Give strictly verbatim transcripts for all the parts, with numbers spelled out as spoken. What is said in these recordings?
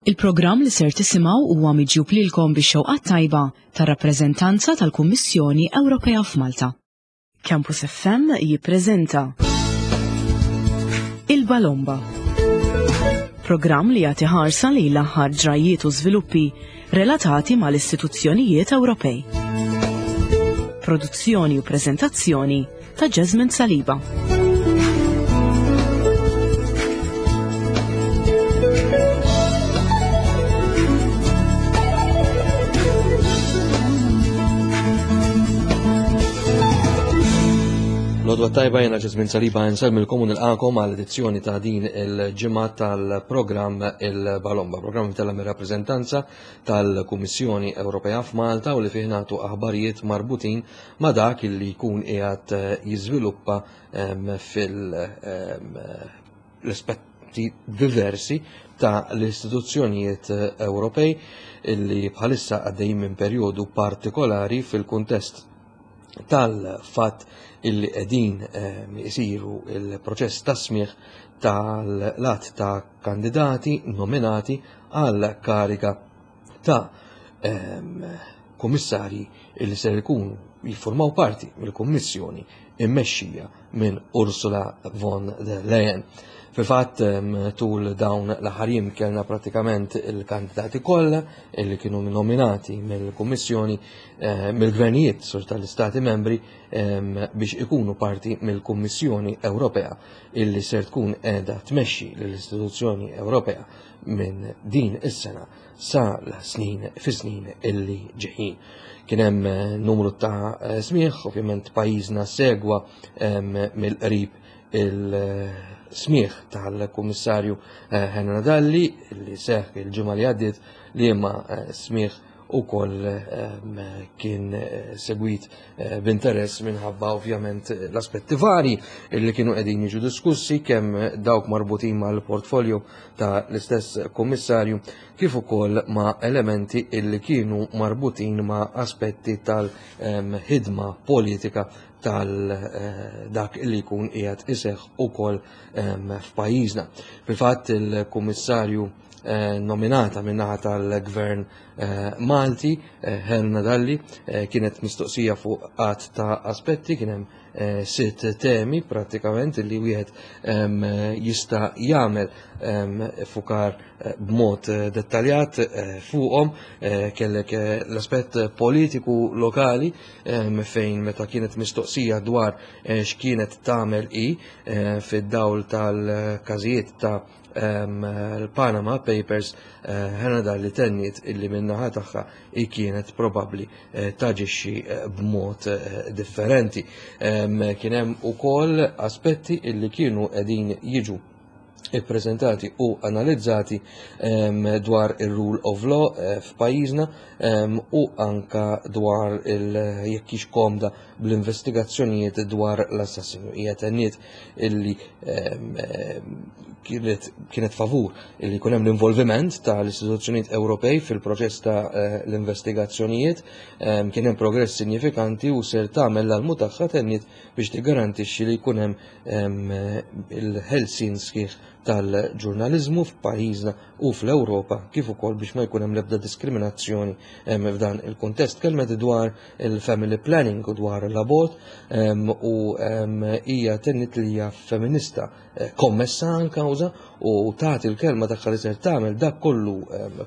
Il-programm li ser tisimgħu huwa miġjub lilkom bix-xewqa tajba tar-rappreżentanza tal-Kummissjoni Ewropea f'Malta. Campus F M jippreżenta Il-Balomba. Programm li jagħti ħarsa li l-aħħar ġrajiet u żviluppi relatati mal-istituzzjonijiet Ewropej. Produzzjoni u preżentazzjoni ta' Jasmine Saliba. L-għodwa t-tajba, jiena Jasmine Saliba, nsellmilkom u nilqagħkom għal edizzjoni ta' din il-ġimgħa tal-programm Il-Balomba, programm imtella' mir-rappreżentanza tal-Kummissjoni Ewropea f'Malta u li fih nagħtu aħbarijiet marbutin ma' dak li jkun qiegħed jiżviluppa fil-aspetti diversi ta' l-istituzzjonijiet Ewropej illi bħalissa għaddejjin minn perjodu partikolari fil-kuntest tal-fatt illi qegħdin isiru il-proċess ta' smigħ tal-għadd ta' kandidati nominati għal kariga ta' kummissarji illi ser ikunu jiffurmaw parti mill-Kummissjoni immexxija minn Ursula von der Leyen. Fil-fatt, tul dawn l-aħħar jiem kellna pratikament il-kandidati kollha illi kienu nominati mill-Kummissjoni, eh, mill-gvernijiet sur tal-Istati membri, biex ikunu parti mill-Kummissjoni Ewropea illi ser tkun qiegħda tmexxi l-istituzzjoni Ewropea minn din is-sena sa l-snin fi snin illi ġejjin. Kien hemm eh, numru ta' eh, smigħ, ovvjament pajjiżna segwa mill-qrib il-smigħ tal-Kummissarju eh, Helena Dalli li seħ il-ġimgħa li għaddiet, li imma smigħ ukoll kien segwit b'interess minħabba ovvjament l-aspetti vari li kienu qegħdin jiġu diskussi, kemm dawk marbutin mal-portfolio ta' l-istess kummissarju kif ukoll ma' elementi illi kienu marbutin ma' aspetti tal-ħidma politika tal-dak li jkun qiegħed iseħħ ukoll f'pajjiżna. Fil-fatt, il-kummissarju eh, nominata min-naħa tal-gvern eh, Malti, eh, Helena Dalli, kienet mistoqsija fuq għadd ta' aspetti. Kien hemm sitt temi pratikament li wieħed jista' jagħmel fukar b'mod dettaljat fuqhom. Kellek l-aspett politiku lokali, fejn meta kienet mistoqsija dwar x'kienet tagħmel i fid-dawl tal-każijiet ta' l-Panama Papers, Helena Dalli tenniet illi min-naħa tagħha i kienet probabbli eh, taġixxi eh, b'mod eh, differenti. Kien hemm ukoll aspetti illi kienu qegħdin jiġu ippreżentati u analizzati dwar il-rule of law f'pajjiżna u anka dwar il-jekk hix komda bl-investigazzjonijiet dwar l-assassinju. Hija tenniet illi kienet, kienet favur illi jkun hemm l-involviment tal-istituzzjonijiet Ewropej fil-proċess ta' l-investigazzjonijiet. Kien hemm progress sinifikanti u ser tagħmel l-almu tagħha, tenniet, biex tigarantixxi li jkun hemm il-ħelsien sħiħ tal-ġurnaliżmu f'pajjiżna u fl-Ewropa, kif ukoll biex ma jkun hemm l-ebda diskriminazzjoni f'dan il-kuntest. Tkellmet dwar il-family planning u dwar l-abort u hija tenniet li hija feminista eh, kommessa għal kawża u tagħti l-kelma tagħha li ser tagħmel dak kollu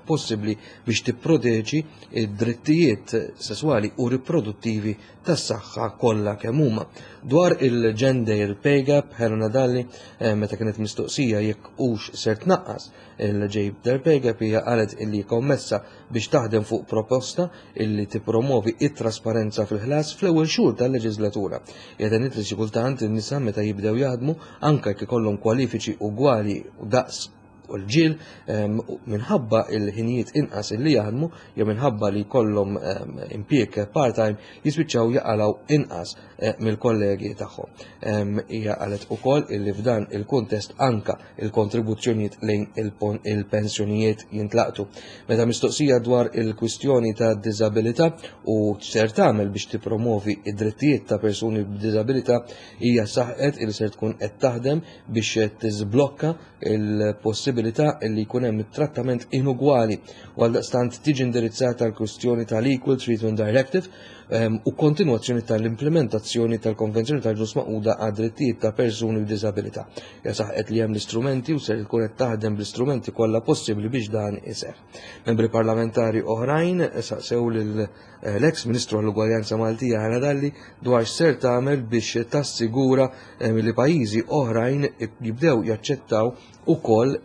possibbli biex tipproteġi id-drittijiet sesswali u riproduttivi tas-saħħa kollha kemm huma. Dwar il-gender pay gap, Helena Dalli, eh, meta kienet mistoqsija jekk hux ser tnaqqas il-gender pay gap, hija qalet illi kommessa biex taħdem fuq proposta illi tippromovi it-trasparenza fil-ħlas fl-ewwel xhur tal-leġislatura. Hija tenniet li xi kultant in-nisa meta jibdew jaħdmu, anke jekk ikollhom kwalifiċi ugwali u daqs u l-irġiel, minħabba il-ħinijiet inqas illi jaħdmu jew minħabba li jkollhom impjieg part-time, jispiċċaw jaqalaw inqas eh, mill-kollegi tagħhom. Hija qalet ukoll illi f'dan il-kuntest anka il-kontribuzzjonijiet lejn il-pensjonijiet jintlaqtu. Meta mistoqsija dwar il-kwistjoni ta' diżabilità u ser tagħmel biex tippromovi id-drittijiet ta' persuni b'diżabilità, hija saħqet il ser tkun qed taħdem biex tiżblokka il-possibilità il-possibilità li jkun hemm trattament inugwali u għaldaqstant tiġi indirizzata l-kwistjoni tal-Equal Treatment Directive u kontinwazzjoni tal-implementazzjoni tal-Konvenzjoni tal-Ġnus Magħquda għad-drittijiet ta' persuni b'diżabilità. Hija saħqet li hemm l-istrumenti u ser tkun qed taħdem bl-istrumenti kollha possibbli biex dan iseħħ. Membri parlamentari oħrajn saqsew lil l-eks Ministru għall-Ugwaljanza Maltija Helena Dalli dwar x'ser tagħmel biex tassigura li pajjiżi oħrajn jibdew jaċċettaw ukoll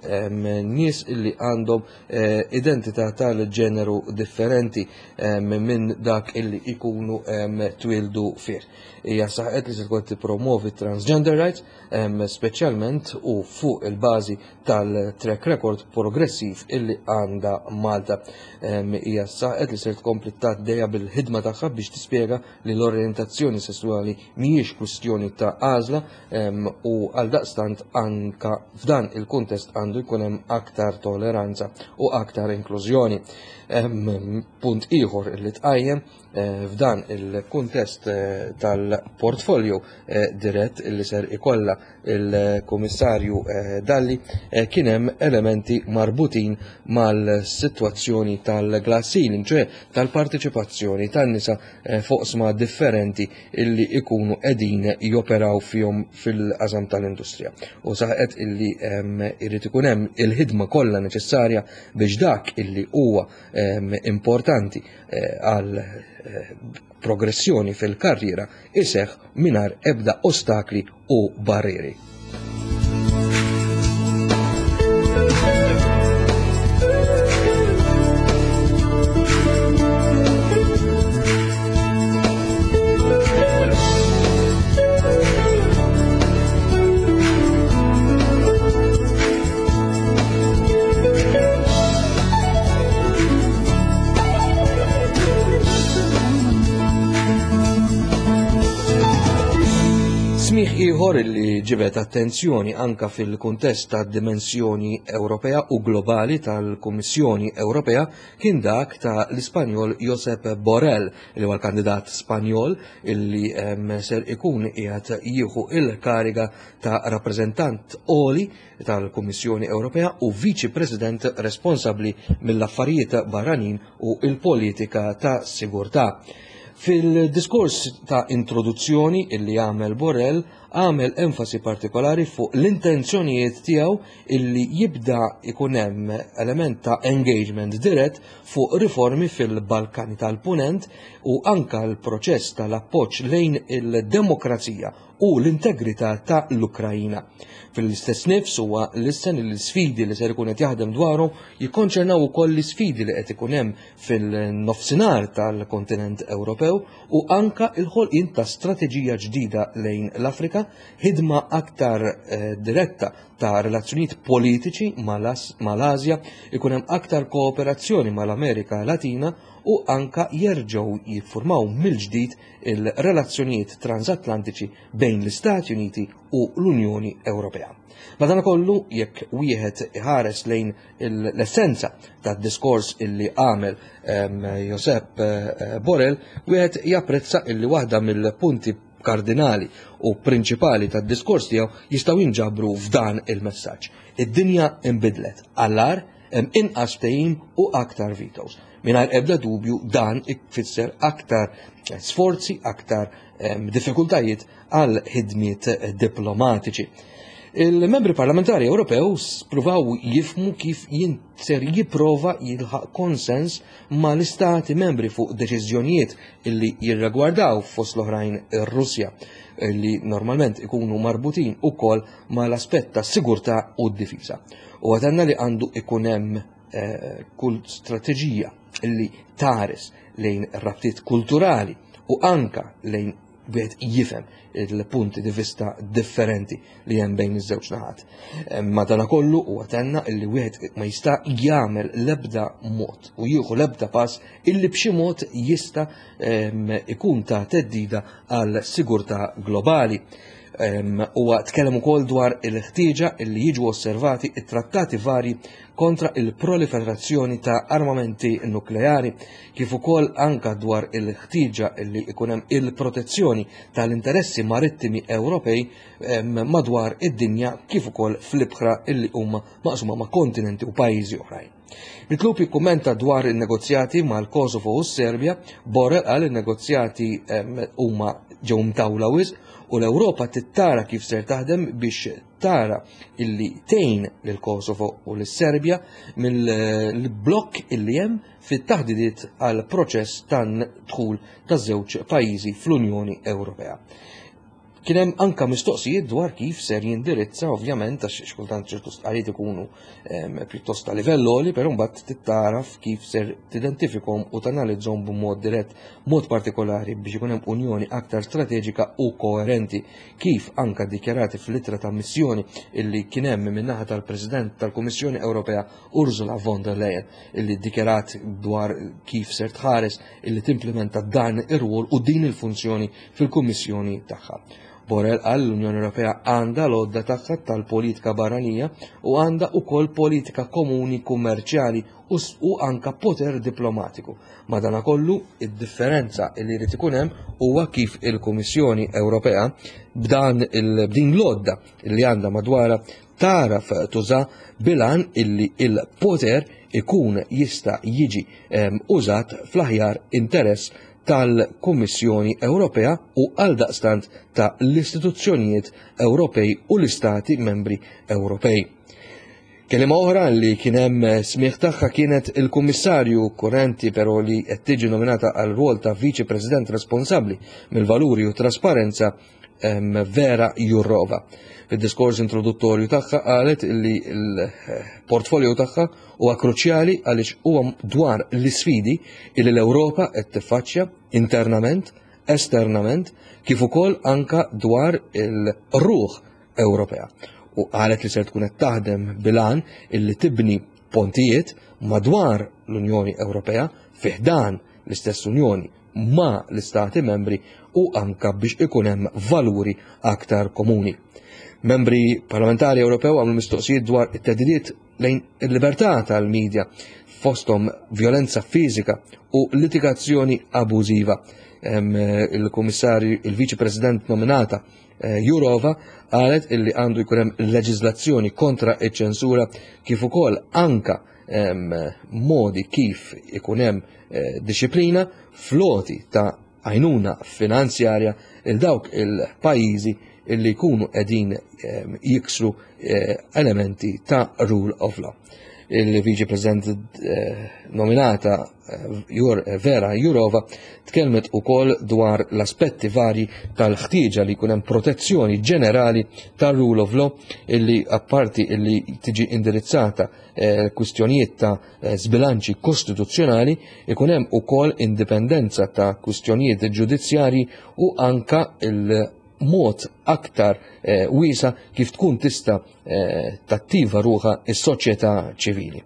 nies illi għandhom identità tal-ġeneru differenti minn dak illi ikunu twildu fih. Hija saħqet li se tkun tippromovi transgender rights, speċjalment u fuq il-bażi tal-track record progressiv illi għandha Malta. Hija saħqet li se tkompli tgħaddejja bil-ħidma tagħha biex tispjega li l-orjentazzjoni sesswali mhijiex kwistjoni ta' għażla u għaldaqstant anka f'dan il-kuntest għandu jkun hemm aktar toleranza u aktar inklużjoni. Punt ieħor li tqajjem f'dan il-kuntest tal-portfolio dirett li ser ikolla il-Kummissarju Dalli kien hemm elementi marbutin mal-sitwazzjoni tal-glass ceiling, ċoè tal-parteċipazzjoni tan-nisa foqsma differenti illi ikunu qegħdin joperaw fihom fil-qasam tal-industrija. U saħqet illi irid ikun hemm il-ħidma kollha neċessarja biex dak illi huwa importanti għal progressjoni fil-karriera iseħħ mingħajr ebda ostakli u barrieri. Smigħ ieħor li ġibed attenzjoni anka fil-kuntest tad-dimensjoni Ewropea u globali tal-Kummissjoni Ewropea kien dak ta' l-Ispanjol Josep Borrell, li huwa l-kandidat Spanjol illi ser ikun qiegħed jieħu il-kariga ta' rappreżentant għoli tal-Kummissjoni Ewropea u Viċi President responsabbli mill-affarijiet barranin u il-politika ta' sigurtà. Fil-diskors ta' introduzzjoni illi għamel Borrell, għamel enfasi partikolari fuq l-intenzjonijiet tiegħu illi jibda ikun hemm element ta' engagement dirett fuq riformi fil-Balkani tal-Punent u anka l-proċess tal-appoġġ lejn il-demokrazija u l-integrità ta' l-Ukrajina. Fil-istess nifs huwa lissen l-sfidi li ser ikun qed jaħdem dwarhom jikkonċernaw ukoll l-isfidi li qed ikun hemm fil-nofsinhar tal-kontinent Ewropew u anka l-ħolqien ta' strateġija ġdida lejn l-Afrika, ħidma aktar diretta ta' relazzjonijiet politiċi mal-Asja, ikun hemm aktar kooperazzjoni mal-Amerika Latina u anka jerġgħu jiffurmaw mill-ġdid il-relazzjonijiet transatlantiċi bejn l-Istati Uniti u l-Unjoni Ewropea. Madankollu, jekk wieħed iħares lejn l-essenza tad-diskors illi għamel Josep Borrell, wieħed japprezza illi waħda mill-punti kardinali u prinċipali tad-diskors tiegħu jistgħu jinġabru f'dan il-messaġġ. Id-dinja inbidlet għall-agħar, hemm inqas ftehim u aktar vetoes. Mingħajr ebda dubju dan ifisser aktar sforzi, aktar diffikultajiet għal ħidmiet diplomatiċi. Il-membri parlamentari Ewropew spruvaw jifmu kif ser jipprova jilħaq konsens mal-istati membri fuq deċiżjonijiet illi jirragwardaw fost l-oħrajn ir-Russja, illi normalment ikunu marbutin ukoll mal-aspett ta' sigurtà u d-difiża. U għatanna li għandu ikun hemm kull strateġija illi tares lejn rabtiet kulturali u anka lejn wieħed jifhem il-punti di vista differenti li hemm bejn iż-żewġ naħat. Madanakollu huwa tenna illi wieħed ma jista' jagħmel l-ebda mod u jieħu l-ebda pass illi b'xi mod jista' ikun ta' teddida għal sigurtà globali. Huwa tkellem ukoll dwar il-ħtieġa li jiġu osservati it-trattati vari kontra il-proliferazzjoni ta' armamenti nukleari, kif ukoll anka dwar il-ħtieġa li ikun hemm il-protezzjoni tal-interessi marittimi Ewropej madwar id-dinja kif ukoll fl-ibħra illi huma maqsuma ma' kontinenti u pajjiżi oħrajn. Mitlub jikkummenta dwar in-negozjati mal-Kosovo u s-Serbja, Borrell qal in-negozjati huma ġew mtawla wisq u l-Ewropa tittara kif ser taħdem biex tara illi tgħin lil Kosovo u lis-Serbja mill-blokk illi hemm fit-taħdidiet għal proċess tan-dħul taż-żewġ pajjiżi fl-Unjoni Ewropea. Kien hemm anka mistoqsijiet dwar kif ser jindirizza, ovvjament, għax xkultant ċertu stqarrijiet ikunu pjuttost ta' livell għoli, però mbagħad tittaraf kif ser tidentifikhom u tanalizzhom b'mod dirett, mod partikolari biex ikun hemm unjoni aktar strateġika u koerenti, kif anka dikjarati fl-ittra ta' missjoni illi kien hemm min-naħa tal-President tal-Kummissjoni Ewropea Ursula von der Leyen, illi dikjarat dwar kif ser tħares illi timplementa dan ir-rwol u din il-funzjoni fil-Kummissjoni tagħha. Borrell qal l-Unjoni Ewropea għandha l-għodda tagħha tal-politika barranija u għandha wkoll politika komuni kummerċjali u anka poter diplomatiku. Madanakollu, id-differenza li jrid ikun hemm huwa kif il-Kummissjoni Ewropea b'dan b'din l-għodda li għandha madwarha taraf tuża bilan illi il-poter ikun jista' jiġi użat fl-aħjar interess tal-Kummissjoni Ewropea u għaldaqstant ta' l-istituzzjonijiet Ewropej u l-Istati membri Ewropej. Kelima oħra li kien hemm smigħ tagħha kienet il-Kummissarju kurrenti, però li qed tiġi nominata għal rwol ta' Viċi President responsabbli mill-valuri u trasparenza, Vera Jourova. Fid-diskors introduttorju tagħha qalet li l-portfolio tagħha huwa kruċjali għaliex huwa dwar l-isfidi li l-Ewropa qed tiffaċċja internament, esternament, kif ukoll anka dwar il-ruħ Ewropea. U qalet li ser tkun qed taħdem bilan illi tibni pontijiet madwar l-Unjoni Ewropea, fi ħdan l-istess Unjoni ma l-Istati membri u anka biex ikun hemm valuri aktar komuni. Membri parlamentari Ewropew għamlu mistoqsijiet dwar it-theddidiet lejn il-libertà tal-medja, fosthom violenza fiżika u litigazzjoni abużiva. Il-Kummissarju, il-Viċi President nominata eh, Jourova qalet illi għandu jkun hemm leġiżlazzjoni kontra iċ-ċensura kif ukoll anka modi kif ikun hemm eh, disciplina floti ta' għajnuna finanzjarja il dawk il-pajjiżi illi jkunu qegħdin jiksru eh, elementi ta' rule of law. Il-Viċi President eh, nominata eh, Vera Jourova tkellmet ukoll dwar l-aspetti vari tal-ħtieġa li jkun hemm protezzjoni ġenerali tal-rule of law, illi apparti illi tiġi indirizzata kwistjonijiet ta' sbilanċi kostituzzjonali, ikun hemm ukoll indipendenza ta' kwistjonijiet ġudizzjarji u anka il- mod aktar eh, wiesa kif tkun tista eh, tattiva ruħa is-soċjetà ċivili.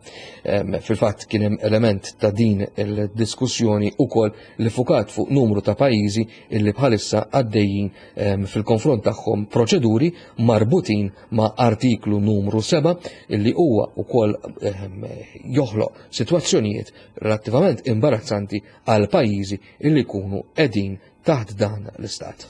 Fil-fatt kien hemm element ta' din il-diskussjoni ukoll li fukat fuq numru ta' pajjiżi illi bħalissa għaddejjin fil-konfront tagħhom proċeduri marbutin ma' artiklu numru seba' illi huwa ukoll joħloq sitwazzjonijiet relattivament imbarazzanti għal pajjiżi illi jkunu qegħdin taħt dan l-istat.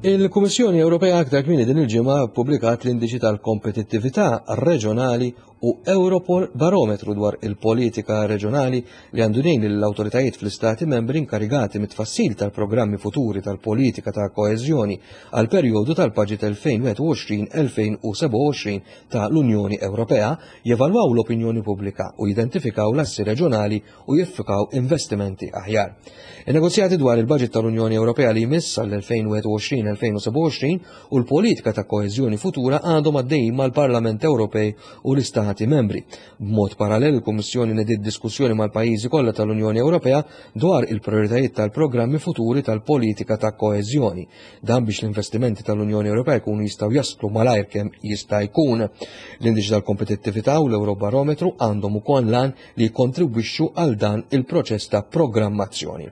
Il-Kummissjoni Ewropea aktar kmieni din il-ġimgħa ppubblikat l-indiċi tal-kompetittività reġjonali u Europol Barometru dwar il-politika reġjonali li għandu jgħin lill-awtoritajiet fl-istati membri inkarigati mit-tfassil tal-programmi futuri tal-politika ta' koeżjoni għal perjodu tal-Baġit elfejn wieħed u għoxrin elfejn u sebgħa u għoxrin ta' l-Unjoni Ewropea jevalwaw l-opinjoni pubblika u jidentifikaw l-assi reġjonali u jiffikaw investimenti aħjar. In-negozjati dwar il-Baġit tal-Unjoni Ewropea li jmiss għall-elfejn wieħed u għoxrin elfejn u sebgħa u għoxrin u l-politika ta' koeżjoni futura għandhom għaddejjin mal-Parlament Ewropej u l-Istati membri. B'mod parallel, il-Kummissjoni nediet diskussjoni mal-pajjiżi kollha tal-Unjoni Ewropea dwar il-prioritajiet tal-programmi futuri tal-politika ta' koeżjoni. Dan biex l-investimenti tal-Unjoni Ewropea jkunu jistgħu jaslu malajr kemm jista' jkun. L-indiċi tal-kompetittività u l-Eurobarometru għandhom ukoll lan li jikkontribwixxu għal dan il-proċess ta' programmazzjoni.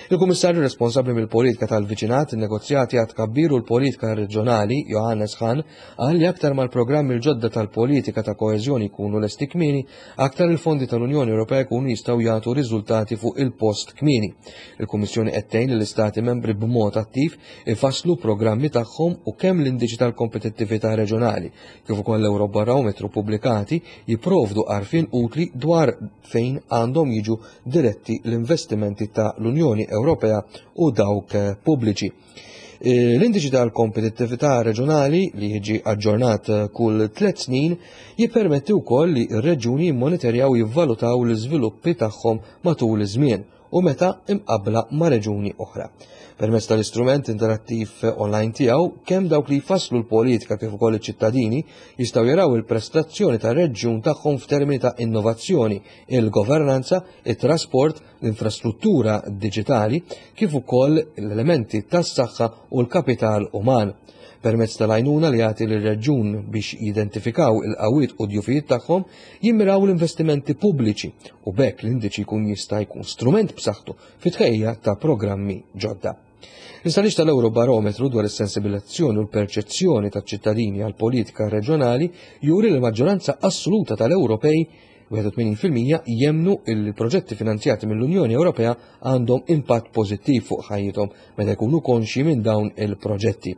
Il-Kummissarju responsabbli mill-politika tal-viċinat, in-negozjati għad tkabbir u l-politika reġjonali, Johannes Hahn, qal li aktar mal-programmi l-ġodda tal-politika ta' koeżjoni jkunu lesti kmieni, aktar il-fondi tal-Unjoni Ewropea jkunu jistgħu jagħtu riżultati fuq il-post kmieni. Il-Kummissjoni qed tgħin lill-Istati membri b'mod attiv ifasslu programmi tagħhom u kemm l-indiċi tal-kompetittività reġjonali kif ukoll l-Eurobarometru pubblikati jipprovdu għarfien utli dwar fejn għandhom jiġu diretti l-investimenti ta' l-Unjoni Ewropea u dawk pubbliċi. L-indiċi tal-kompetittività reġjonali li jiġi aġġornat kull tliet snin jippermetti wkoll li r-reġjuni jimmonitorjaw u jivvalutaw l-iżviluppi tagħhom matul iż-żmien u meta imqabbla ma' reġjuni oħra. Permezz tal-istrument interattiv online tiegħu, kemm dawk li jfasslu l-politika kif ukoll iċ-ċittadini jistgħu jaraw il-prestazzjoni tar-reġjun tagħhom f'termini ta' innovazzjoni, il-governanza, it-trasport, l-infrastruttura diġitali, kif ukoll l-elementi tas-saħħa u l-kapital uman. Permezz tal-għajnuna li jagħti lir-reġjun biex jidentifikaw il-qawwiet u djufijiet tagħhom, jimmiraw l-investimenti pubbliċi u b'hekk l-indiċi jkun jista' jkun strument b'saħħtu fit-tħejjija ta' programmi ġodda. L-istħarriġ tal-Eurobarometru dwar is-sensibilizzazzjoni u l-perċezzjoni taċ-ċittadini għal politika reġjonali juri li l-maġġoranza assoluta tal-Ewropej wieħed u tmenin fil-mija jemnu il-proġetti finanzjati mill-Unjoni Ewropea għandhom impatt pożittiv fuq ħajjithom meta jkunu konxji minn dawn il-proġetti.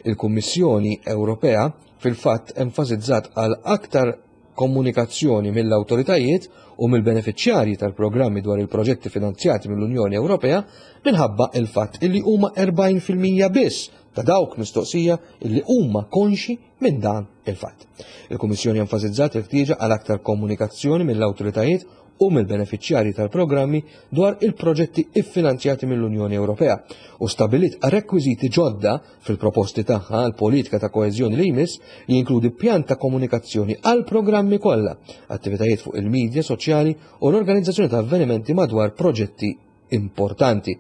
Il-Kummissjoni Ewropea fil-fatt enfasizzat għal aktar komunikazzjoni mill-awtoritajiet u mill-beneficjarji tal-programmi dwar il-proġetti finanzjati mill-Unjoni Ewropea minħabba il-fatt illi huma erbgħin fil-mija biss ta' dawk mistoqsija illi huma konxi minn dan il-fatt. Il-Kummissjoni enfasizzat il-ħtieġa għal aktar komunikazzjoni mill-awtoritajiet u mill-beneficjarji tal-programmi dwar il-proġetti iffinanzjati mill-Unjoni Ewropea u stabilit rekwiżiti ġodda fil-proposti tagħha għal politika ta' koeżjoni li jmiss li jinkludi pjan ta' komunikazzjoni għal programmi kollha, attivitajiet fuq il-medja soċjali u l-organizzazzjoni ta' avvenimenti madwar proġetti importanti.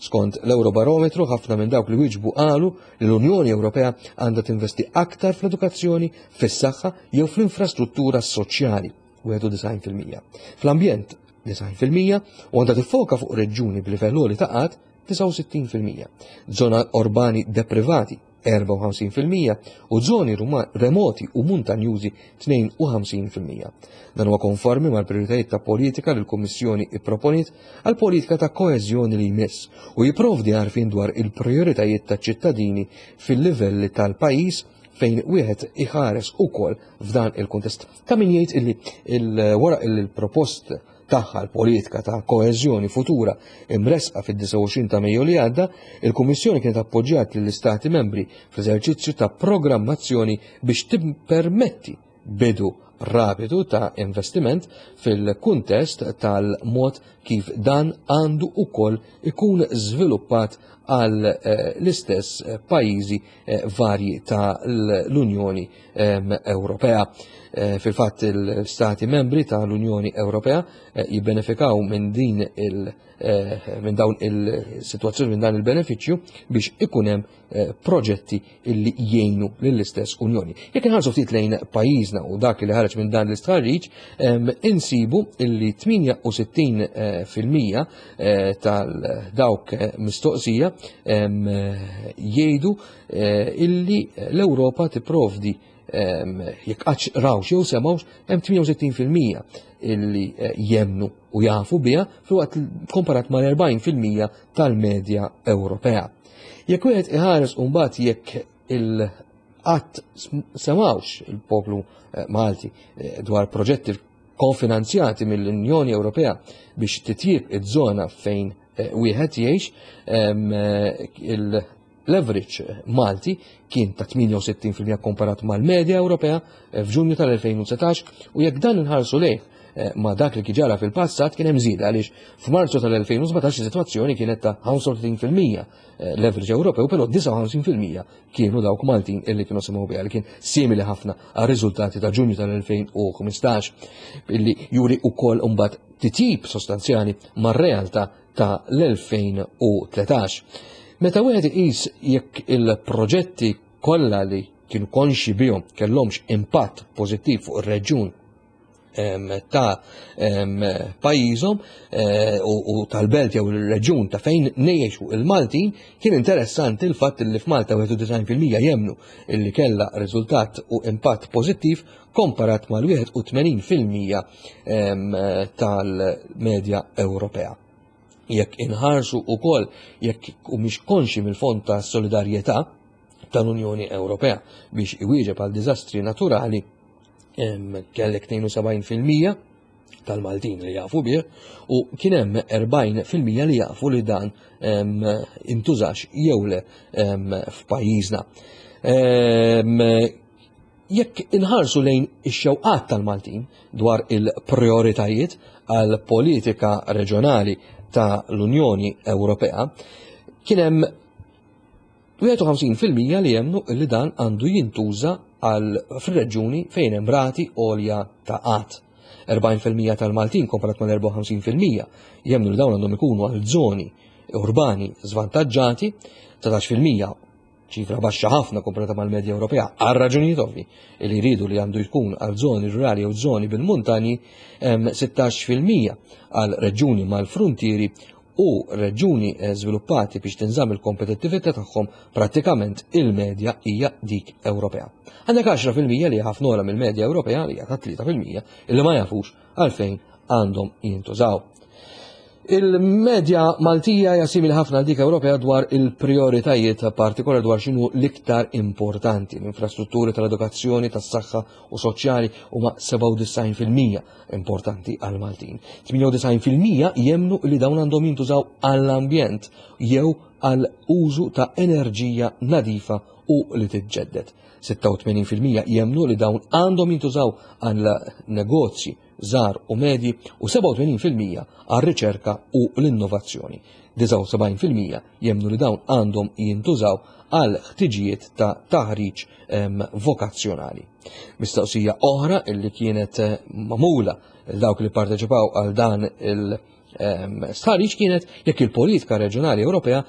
Skont l-Eurobarometru, ħafna minn dawk li wieġbu qalu li l-Unjoni Ewropea għandha tinvesti aktar fl-edukazzjoni, fis-saħħa jew fl-infrastruttura soċjali, wieħed u disgħin fil-mija. Fl-ambjent, disgħin fil-mija, u għandha tiffoka fuq reġjuni b'livell għoli ta' qgħad, disgħa u sittin fil-mija. Żona urbani deprivati, erbgħa u ħamsin fil-mija, u żoni ruma-, remoti u muntanjużi, tnejn u ħamsin fil-mija. Dan huwa konformi mal-prijoritajiet ta' politika li l-Kummissjoni ipproponiet għal politika ta' koeżjoni li jmiss u jipprovdi għarfien dwar il-prijoritajiet ta' ċittadini fil-livelli tal-pajjiż fejn wieħed iħares ukoll f'dan il-kuntest. Ta' min jgħid illi il-, wara il-propost tagħha l-politika ta' koeżjoni futura imresqa fid-disgħa u għoxrin ta' Mejju li għadda, il-Kummissjoni kienet appoġġjat lill-Istati membri fl-eżerċizzju ta' programmazzjoni biex tippermetti bidu rapidu ta' investiment fil-kuntest tal-mod kif dan għandu ukoll ikun żviluppat għal, eh, l-istess pajjiżi, eh, varji tal-Unjoni, ehm, Ewropea. Eh, fil-fatt il-Stati membri tal-Unjoni Ewropea, eh, jibbenefikaw minn din il-, eh, minn dawn il-sitwazzjoni, minn dan il-benefiċċju biex ikun hemm, eh, proġetti illi jgħinu lill-istess Unjoni. Jekk inħarsu ftit lejn pajjiżna u dak li ħareġ minn dan l-istħarriġ, ehm, insibu illi tmienja u sittin, eh, fil-mija, eh, tal-dawk, eh, mistoqsija, ehm, jgħidu, eh, illi l-Ewropa tipprovdi, ehm, jekk qatt rawx jew semgħux, hemm tmienja u sittin fil-mija illi, eh, jemnu u jafu biha, filwaqt komparat mal-erbgħin fil-mija tal-medja Ewropea. Jekk wieħed iħares u mbagħad jekk il qatt semawx il-poplu Malti dwar proġetti konfinanzjati mill-Unjoni Ewropea biex titjib iż-żona fejn wieħed jgħix, il-leverage Malti kien ta' tmienja u sittin fil-mija komparat mal-medja Ewropea f'Ġunju tal-elfejn u dsatax, u jekk dan inħarsu lejh ma' dak li kien ġara fil-passat kien hemm żieda għaliex f'Marzu tal-elfejn u sbatax is-sitwazzjoni kienet ta' ħamsa u tletin fil-mija leverage Ewropew, però disgħa u ħamsin fil-mija kienu dawk Maltin illi kienu semgħu biha, li kien simili ħafna għar-riżultati ta' Ġunju tal-elfejn u ħmistax, illi juri wkoll imbagħad titjib sostanzjali mar-realtà ta' l-elfejn u tletax. Meta wieħed iqis jekk il-proġetti kollha li kienu konxi bihom kellhomx impatt pożittiv fuq ir-reġjun ta' pajjiżhom, eh, u, u tal-belt jew ir-reġjun ta' fejn ngħixu il-Maltin, kien interessanti l-fatt li f'Malta wieħed u disgħin fil-mija jemnu illi kellha riżultat u impatt pożittiv komparat mal-wieħed u tmenin fil-mija, em, tal-medja Ewropea. Jekk inħarsu wkoll jekk humiex konxi mill-Fond ta' Solidarjetà tal-Unjoni Ewropea biex iwieġeb għal diżastri naturali, em, kellek tnejn u sebgħin fil-mija tal-Maltin li jafu bih, u kien hemm erbgħin fil-mija li jafu li dan, em, intużax jew le, em, f'pajjiżna. Em, jekk inħarsu lejn ix-xewqat tal-Maltin dwar il-prioritajiet għal politika reġjonali ta' l-Unjoni Ewropea, kien hemm wieħed u ħamsin fil-mija li jemmnu li dan għandu jintuża għal fir-reġjuni fejn hemm rati għolja ta' qatt. Erbgħin fil-mija tal-Maltin komparat mal-erbgħa u ħamsin fil-mija jemmnu li dawn għandhom ikunu għal żoni urbani żvantaġġati, dsatax fil-mija ċifra baxxa ħafna komparata mal-medja Ewropea għal raġunijiet ovvi li jridu li għandu jkun għal żoni rurali jew żoni bil-muntanji, hemm sittax fil-mija għal reġjuni mal-frontieri u reġjuni, eh, żviluppati biex tinżamm il-kompetittività tagħhom, prattikament il-medja hija dik Ewropea. Għandek għaxra fil-mija li ħafna ogħla mill-medja Ewropea li hija ta' tlieta fil-mija illi ma jafux għalfejn għandhom jintużaw. Il-medja Maltija hija simili ħafna għal dik Ewropea dwar il-prioritajiet partikolari dwar x'inhu l-iktar importanti. L-infrastrutturi tal-edukazzjoni, tas-saħħa u soċjali huma sebgħa u disgħin fil-mija importanti għal Maltin. Tmienja u disgħin fil-mija jemmnu li dawn għandhom jintużaw għall-ambjent jew għal użu ta' enerġija nadifa u li tiġġedded. Sitta u tmenin fil-mija jemmnu li dawn għandhom jintużaw għal negozji żgħar u medji u sebgħa u tmenin fil-mija għar-riċerka u l-innovazzjoni. Disgħa u sebgħin fil-mija jemmnu li dawn għandhom jintużaw għal ħtiġijiet ta' taħriġ, em, vokazzjonali. Mistoqsija oħra illi kienet, eh, magħmula lil dawk li parteċipaw għal dan il, em, stħarriġ kienet jekk il-politika reġjonali Ewropea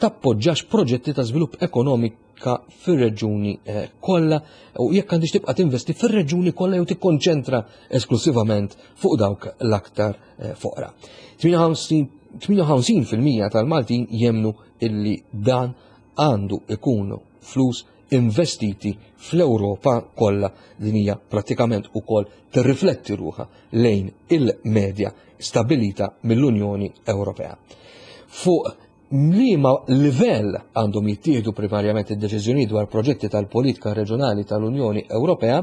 tappoġġax proġetti ta' żvilupp ekonomika fir-reġjuni, eh, kollha u jekk għandix tibqa' tinvesti fir-reġjuni kollha jew tikkonċentra esklusivament fuq dawk l-aktar, eh, foqra. Tmienja u ħamsin fil-mija tal-Maltin jemmnu illi dan għandu ikunu flus investiti fl-Ewropa kollha. Din hija prattikament ukoll tirrifletti ruħha lejn il-medja stabilita mill-Unjoni Ewropea. Fuq liema livell għandhom jittieħdu primarjament id-deċiżjonijiet dwar proġetti tal-politika reġjonali tal-Unjoni Ewropea,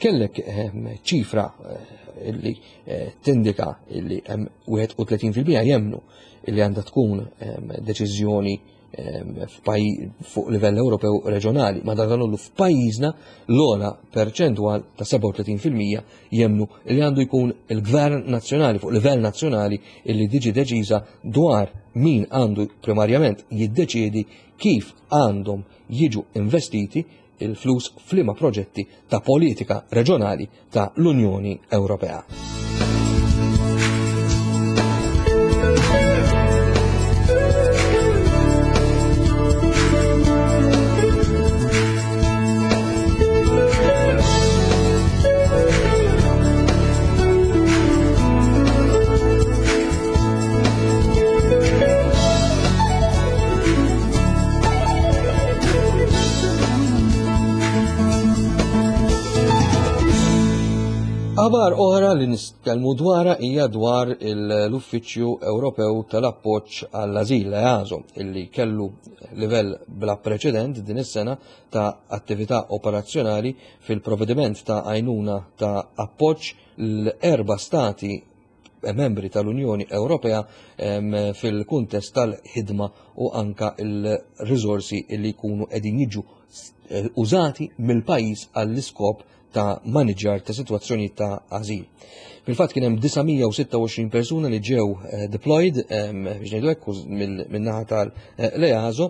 kellek, ehm, ċifra, eh, illi, eh, tindika illi hemm wieħed u tletin fil-mija jemmnu illi għandha tkun, ehm, deċiżjoni, ehm, f'paj-, fuq livell Ewropew reġjonali, ma dan kollu f'pajjiżna l-ogħla perċentwal ta' sebgħa u tletin fil-mija jemmnu li għandu jkun il-Gvern Nazzjonali fuq livell nazzjonali illi diġi deċiża dwar min għandu primarjament jiddeċiedi kif għandhom jiġu investiti il-flus f'liema proġetti ta' politika reġjonali ta' l-Unjoni Ewropea. Aħbar oħra li nitkellmu dwarha hija dwar l-Uffiċċju Ewropew tal-Appoġġ għall-Ażil, EASO, illi kellu livell bla preċedent din is-sena ta' attività operazzjonali fil-provvediment ta' għajnuna ta' appoġġ l-erba' stati membri tal-Unjoni Ewropea fil-kuntest tal-ħidma u anka il-riżorsi li jkunu qegħdin jiġu użati mill-pajjiż għall-iskop ta' maniġġar ta' sitwazzjoni ta' ażil. Fil-fatt kien hemm disa' mija u sitta u għoxrin persuna li ġew deployed biex ngħidu hekk min-naħa tal-EASO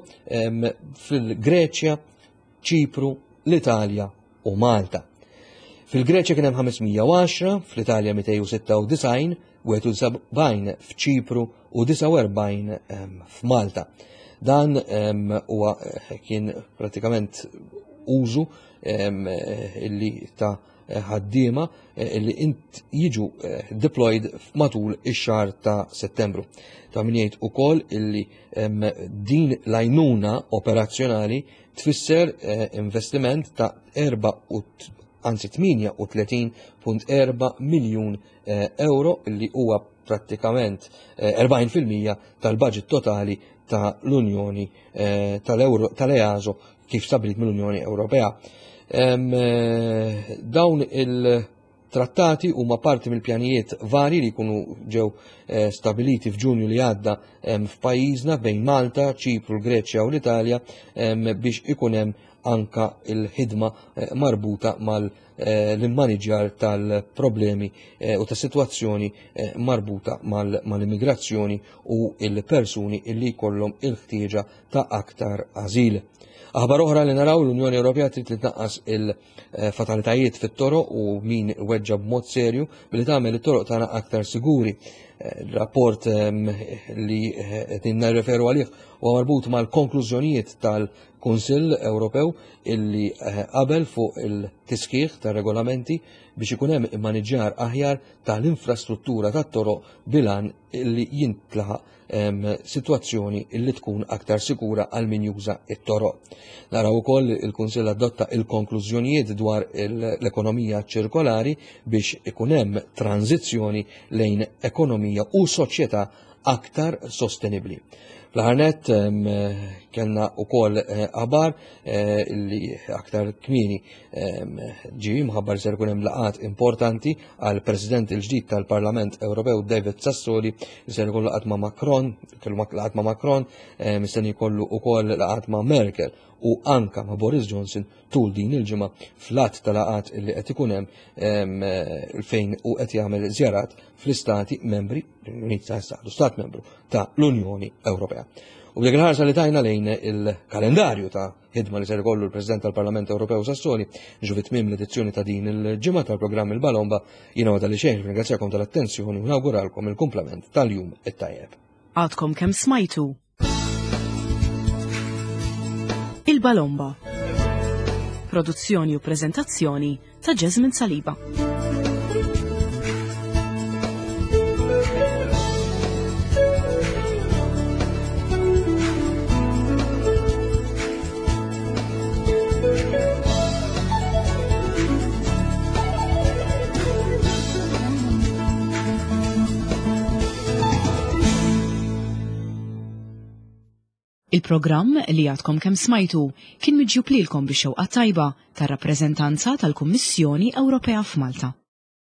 fil-Greċja, Ċipru, l-Italja u Malta. Fil-Greċja kien hemm ħames mija u għaxra, fl-Italja mitejn u sitta u disgħin, wieħed u sebgħin f'Ċipru u disgħa u erbgħin f'Malta. Dan huwa kien pratikament użu illi ta' ħaddiema illi int jiġu deployed matul ix-xahar ta' Settembru. Ta' min jgħid ukoll illi din l-għajnuna operazzjonali tfisser investiment ta' erba' u anzi tminja u tletin punt erba' miljun euro illi huwa prattikament erbgħin fil-mija tal-budget totali ta' l-Unjoni tal-Euro tal-EASO kif stabilit mill-Unjoni Ewropea. Dawn il-trattati huma parti mill-pjanijiet vari li jkunu ġew stabiliti f'Ġunju li għadda f'pajjiżna bejn Malta, Ċipru, l-Greċja u l-Italja biex ikun hemm anka il-ħidma marbuta mal-immaniġjar tal-problemi u ta' sitwazzjoni marbuta mal-immigrazzjoni u il-persuni illi jkollhom il-ħtieġa ta' aktar ażil. Aħbar oħra li naraw, l-Unjoni Ewropea trid li tnaqqas il-fatalitajiet fit-toroq u min weġġa b'mod serju billi tagħmel it-toroq tagħna aktar siguri. Rapport li qed nirreferu għalih huwa marbut mal-konklużjonijiet tal-Kunsill Ewropew illi qabel fuq il-tisħiħ tar-regolamenti biex ikun hemm immaniġġjar aħjar tal-infrastruttura tat-toroq bilan illi jintlaħaq sitwazzjoni illi tkun aktar sikura għal min juża it-toroq. Naraw ukoll il-Kunsill adotta il-konklużjonijiet dwar l-ekonomija ċirkolari biex ikun hemm tranzizzjoni lejn ekonomija u soċjetà aktar sostenibbli. Fl-aħħar nett kellna wkoll aħbar li aktar kmieni ġie mħabbar ser ikun hemm laqgħat importanti għal President il-ġdid tal-Parlament Ewropew David Sassoli, li ser ikollu laqgħat ma' Macron, kellu laqgħat ma' Macron, mistenni jkollu wkoll laqgħat ma' Merkel u anka ma' Boris Johnson tul din il-ġimgħa fl-att ta' laqgħat li qed ikun hemm fejn u qed jagħmel żjarat fl-istati membri, l-istat membru ta' l-Unjoni Ewropea. U b'dik il-ħarsa li tajna lejn il-kalendarju ta' ħidma li ser ikollu l-President tal-Parlament Ewropew Sassoli, ġu fi tmiem l-edizzjoni ta' din il-ġimgħa tal-programm Il-Balomba, jiena għadha li xejn ringrazzjakom tal-attenzjoni u nawguralkom il-kumplament tal-jum it-tajjeb. Għadkom kemm smajtu Il-Balomba. Produzzjoni u preżentazzjoni ta' Jasmine Saliba. Il-programm li għadkom kemm smajtu kien miġjub lilkom bix-xewqa tajba tar-rappreżentanza tal-Kummissjoni Ewropea f'Malta.